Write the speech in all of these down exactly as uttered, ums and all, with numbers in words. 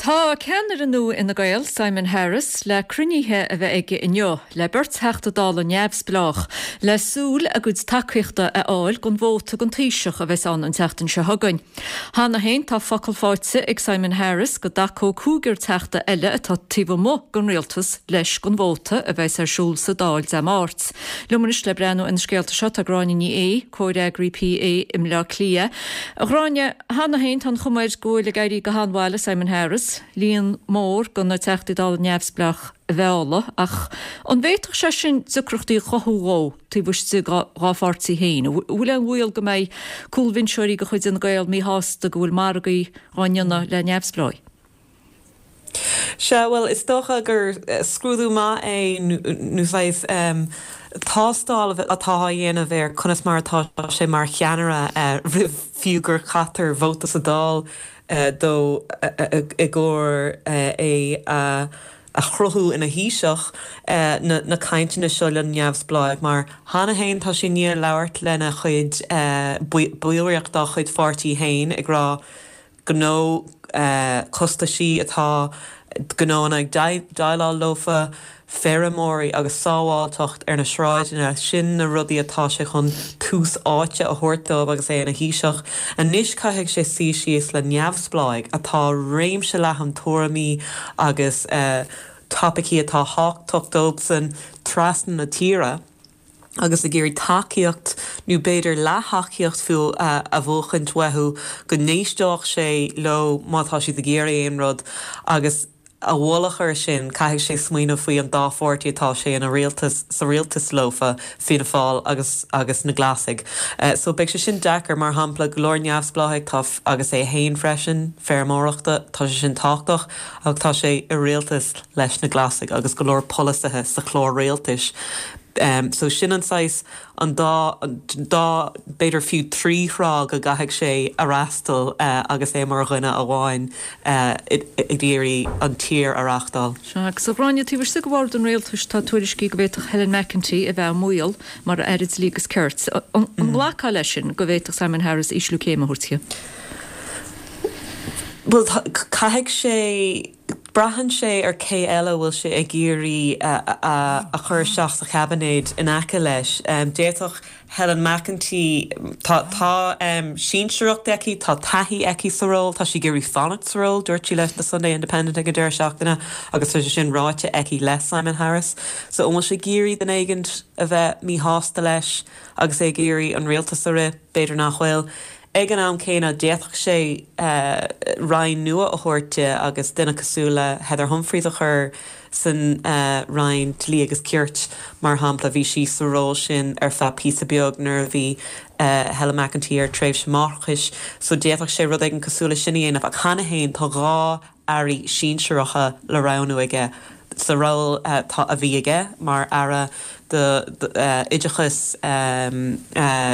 Tá ceannaire nua Fhine Gael, Simon Harris, le cruinnithe a bheith aige inniu le beirt Theachta Dála neamhspleách le súil a gcuid tacaíochta a fháil don vóta don Taoiseach a bheas ann an tseachtain seo chugainn. Cheana féin tá focal faighte ag Simon Harris go dtacódh cúigear teachta eile atá taobh amuigh den rialtas leis don vóta a bheas ar siúl sa Dáil Dé Máirt. Liom anois le breathnú ar na scéalta seo tá Gráinne Ní Aodha, comhfhreagraí P A i mBleá Cliath. A Ghráinne, cheana féin tá an chuma air go bhfuil ag éirí go han-mhaith le Simon Harris, líon mór de na Teachtaí Dála neamhspleách a mhealladh, ach an bhféadfadh sé sin deacrachtaí a chothú dó taobh istigh dá pháirtí féin? An bhfuil aon bhaol go mbeidh cúlbhinseoirí de chuid Fhine Gael míshásta go bhfuil margaí á ndéanamh le neamhspleáigh? Sea, bhuel, is dócha gur scrúdú maith é nó saghas tástáil atá á dhéanamh ar conas mar atá sé mar cheannaire roimh fiú gur caitear vóta sa Dáil dó i gcomhair é a a chruthú ina Thaoiseach, na cainteanna seo le neamhspleáigh, mar cheana féin tá sé i ndiaidh labhairt lena chuid ballraíocht dá chuid pháirtí féin ag rá gnó costaisí atá gnóanna ag déileáil leofa, feirmeoirí agus sábháilteacht ar na sráideanna, sin na rudaí atá sé chun tús áite a thabhairt dóibh agus é ina Thaoiseach. Anois caithfidh sé suí síos le neamhspleáigh atá réimse leathan tuairimí agus topaicí atá tábhachtach dóibhsan trasna na tíre agus ag iarraidh tacaíocht nó b'fhéidir leath-thacaíocht fiú a bhuachaint uathu go n-éisteodh sé leo má tá siad ag iarraidh aon rud agus a mhullach air sin caithfidh sé smaoineamh faoi an dá pháirtí atá sé ina rialtas sa rialtas leofa, Fianna Fáil agus agus na Glasaigh. So beidh sé sin deacair, mar shampla go leor neamhspleáigh tá agus é féin freisin, feirmeoireachta, tá sé sin tábhachtach ach tá sé i rialtas leis na Glasaigh agus go leor polasaithe sa chlár rialtais. So sin an saghas an dá dá b'fhéidir fiú trí thrá go gcaithfidh sé a fhreastal agus é mar dhuine amháin ag iarraidh an tír a reáchtáil. Sea, agus a Ghráinne, taobh istigh de bhord an rialtais tá tuairiscí go bhféadfadh Helen McEntee a bheith i mbaol mar Aire Dlí agus Cirt. An nglacfá leis sin go bhféadfadh Simon Harris ísliú céime a thabhairt di? Bhuel, caithfidh sé, braitheann sé ar cé eile a bhfuil sé ag iarraidh a chur isteach sa chaibinéad in aice leis. D'fhéadfadh Helen McEntee, tá tá sinsearacht aici, tá taithí aici sa ról, tá sí ag iarraidh fanacht sa ról, dúirt sí le The Sunday Independent ag an deireadh seachtaine agus tá sé sin ráite aici le Simon Harris. So an bhfuil sé ag iarraidh duine éigin a bheith míshásta leis agus é ag iarraidh an rialtas a rith? B'fhéidir nach bhfuil. Ag an am céanna, d'fhéadfadh sé roinn nua a thabhairt di agus duine cosúil le Heather Humphreys a chur san Roinn Dlí agus Cirt, mar shampla. Bhí sí sa ról sin ar feadh píosa beag nuair a bhí Helen McEntee ar tréimhse máithreachais, so d'fhéadfadh sé rud éigin cosúil leis sin a dhéanamh. Ach cheana féin, tá dhá airí sinsearacha le roghnú aige sa ról a bhí aige mar Aire d'Oideachas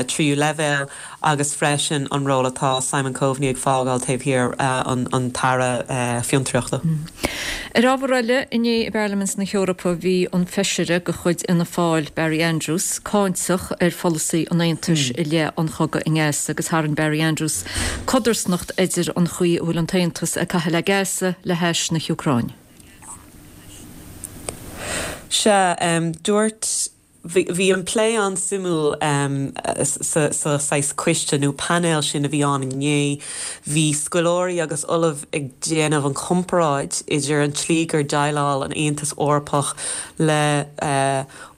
Tríú Leibhéal agus freisin an ról atá Simon Coveney ag fágáil taobh thiar, an tAire Fiontraíochta. Ar ábhar eile, inné i bParlaimint na hEorpa bhí an feisire de chuid Fhianna Fáil, Barry Andrews, cáinteach ar pholasaí an Aontais i leith an chogaidh i nGaza agus tharraing Barry Andrews codarsnacht idir an chaoi a bhfuil an tAontas ag caitheamh le Gaza le hais na hÚcráine. Sea, dúirt, bhí an plé an-suimiúil sa saghas coiste nó painéal sin a bhí ann inné. Bhí scoláirí agus ollaimh ag déanamh an chomparáid idir an tslí gur dhéileáil an Aontas Eorpach le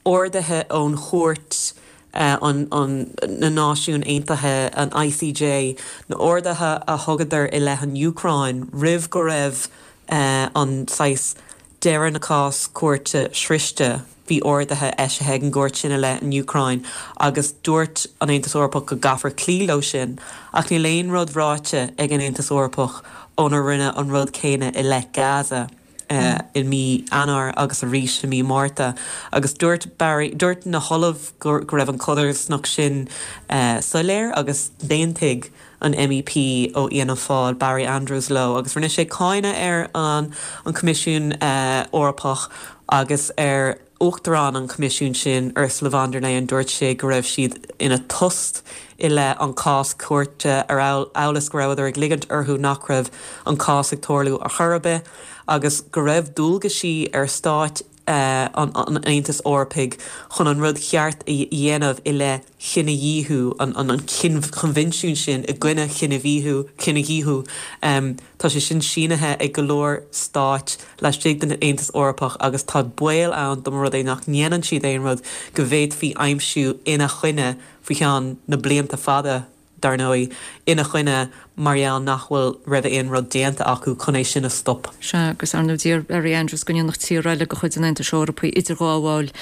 orduithe ón Chúirt an na Náisiún Aontaithe, an I C J, na orduithe a thugadar i leith an Úcráin roimh go raibh an saghas deireadh na cás cúirte sroichte. Bhí orduithe eisithe ag an gcúirt sin i leith an Úcráin agus dúirt an Aontas Eorpach go gcaithfear cloí leo sin, ach níl aon rud ráite ag an Aontas Eorpach ónar rinneadh an rud céanna i leith Gaza i mí Eanáir agus arís i mí Márta. Agus dúirt Barry, dúirt na hollaimh go raibh an codarsnacht sin soiléir agus d'aontaigh an M E P ó Fhianna Fáil, Barry Andrews, leo agus rinne sé cáineadh ar an an Coimisiún Eorpach agus ar Uachtarán an Choimisiúin sin, Ursula von der Leyen, dúirt sé go raibh siad ina tost i leith an cás cúirte ar amhail is go rabhadar ag ligint orthu nach raibh an cás ag tarlú ar chor ar bith agus go raibh dualgaisí ar stáit an Aontais Eorpaigh chun an rud ceart a dhéanamh i leith chinedhíothú, an coinbhinsiún sin i gcoinne chinedhíothú, cinedhíothú. Tá sé sin sínithe ag go leor stáit laistigh den Aontas Eorpach agus tá baol ann dá mba rud é nach ndéanann siad aon rud go bhféadfaí aimsiú ina choinne faoi cheann na blianta fada. dar ndóigh, ina choinne mar gheall nach bhfuil raibh aon rud déanta acu chun é sin a stop. Sea, agus ar ndóigh d'iarr Barry Andrews go ndéanfadh tír eile de chuid an Aontais Eorpaigh idirghabháil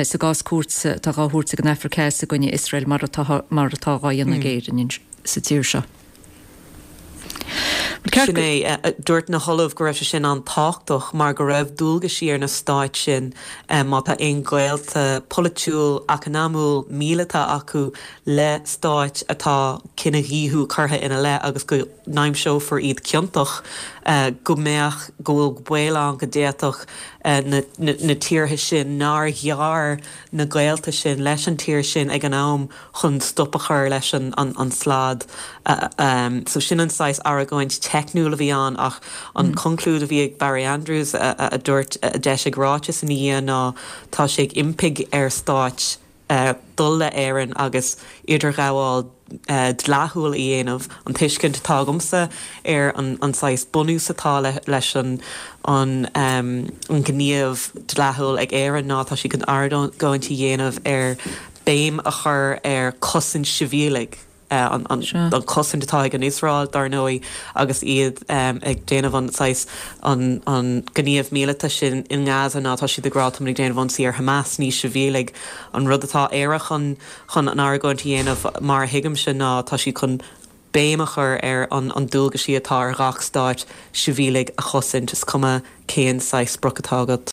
sa gcás cúirte atá dhá thabhairt ag an Afraic Theas i gcoinne Iosrael mar atá mar atá dhá dhéanamh ag Éirinn sa tír seo. Sin é, dúirt na hollaimh go raibh sé sin an-tábhachtach mar go raibh dualgaisí ar na stáit sin má tá aon ghaolta polaitiúil, eacnamúil, míleata acu le stáit atá cinedhíothú curtha ina leith agus go n-aimseofar iad ciontach, go mbeadh, go bhfuil baol ann go d'fhéadfadh na tíortha sin nár ghearr na gaolta sin leis an tír sin ag an am chun stop a chur leis an slad. So sin an saghas argóint teicniúil a bhí ann ach an conclúid a bhí ag Barry Andrews a dúirt a d'eisigh ráiteas ina dhiaidh ná tá sé ag impí ar stáit dul le Éirinn agus idirghabháil dleathúil a dhéanamh. An tuiscint atá agamsa ar an saghas bunús atá leis an ngníomh dleathúil ag Éirinn ná tá sí chun argóint a dhéanamh ar béim a chur ar chosaint sibhialaigh. an chosaint atá ag an Iosrael, dar ndóigh, agus iad ag déanamh an saghas an gníomh míleata sin i nGaza ná tá siad ag rá táimid ag déanamh ionsaí ar Hamas, ní sibhialaigh. An rud atá Éire chun chun an argóint a dhéanamh mar a thuigimse ná tá siad chun béim a chur ar an an dualgaisí atá ar gach stáit sibhialaigh a chosaint, is cuma cén saghas sprioc atá agat.